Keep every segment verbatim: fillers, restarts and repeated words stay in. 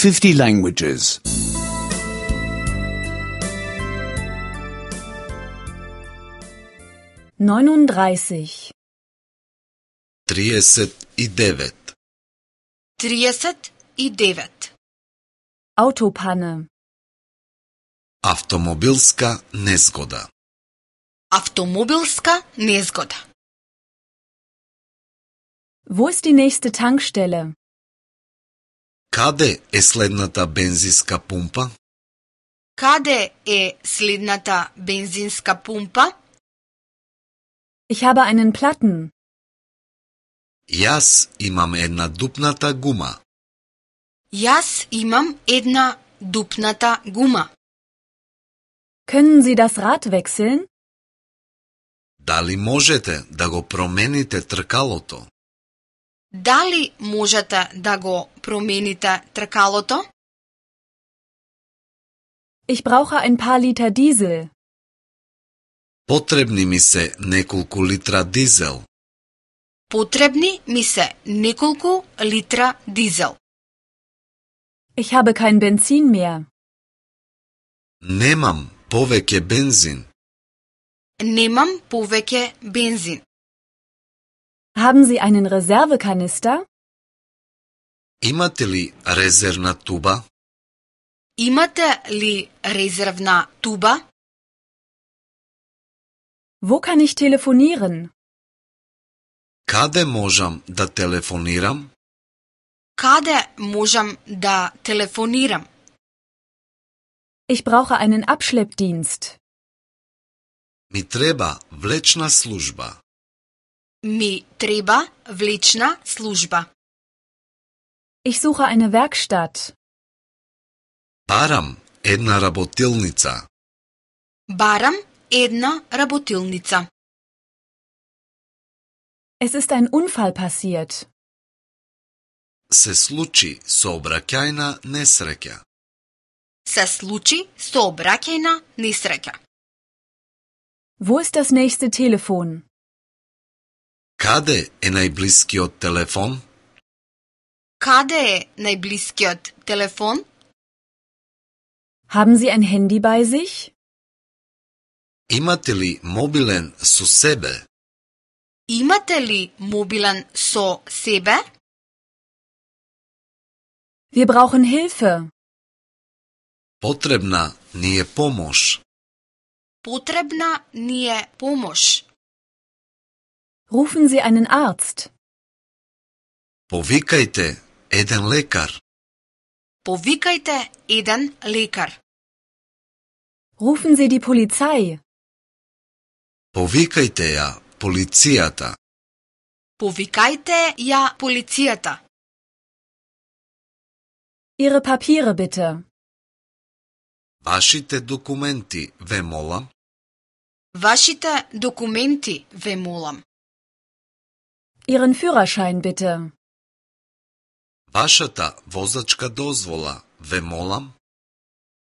fifty languages. neununddreißig. триесет и девет. триесет и девет. Autopanne. Автомобилска незгода. Автомобилска незгода. Wo ist die nächste Tankstelle? Каде е следната бензинска пумпа? Каде е следната бензинска пумпа? Ich habe einen Platten. Јас имам една дупната гума. Јас имам една дупната гума. Können Sie das Rad wechseln? Дали можете да го промените тркалото? Дали можете да го промените тркалото? Ich brauche ein paar Liter Diesel. Потребни ми се неколку литра дизел. Потребни ми се неколку литра дизел. Ich habe kein Benzin mehr. Немам повеќе бензин. Немам повеќе бензин. Haben Sie einen Reservekanister? Имате ли резервна туба? Имате ли резервна туба? Wo kann ich telefonieren? Каде можам да телефонирам? Каде можам да телефонирам? Ich brauche einen Abschleppdienst. Ми треба влечна служба. Ми треба влечна служба. Ich suche eine Werkstatt. Барам една работилница. Барам една работилница. Es ist ein Unfall passiert. Се случи сообраќајна несреќа. Се случи сообраќајна несреќа. Wo ist das nächste Telefon? Каде е најблискиот телефон? Каде е најблискиот телефон? Haben Sie ein Handy bei sich? Имате ли мобилен со себе? Имате ли мобилен со себе? Wir brauchen Hilfe. Потребна ни е помош. Потребна ни е помош. Rufen Sie einen Arzt. Повикајте еден лекар. Повикајте еден лекар. Rufen Sie die Polizei. Повикајте ја полицијата. Повикајте ја полицијата. Ihre Papiere bitte. Вашите документи, ве молам. Вашите документи, ве молам. Ihren Führerschein bitte. Вашата возачка дозвола, ве молам.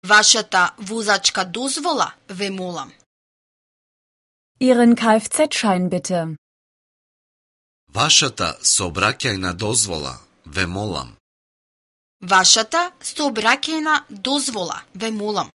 Вашата возачка дозвола, ве молам. Ihren Kfz-Schein bitte. Вашата сообраќајна дозвола, ве молам. Вашата сообраќајна дозвола, ве молам.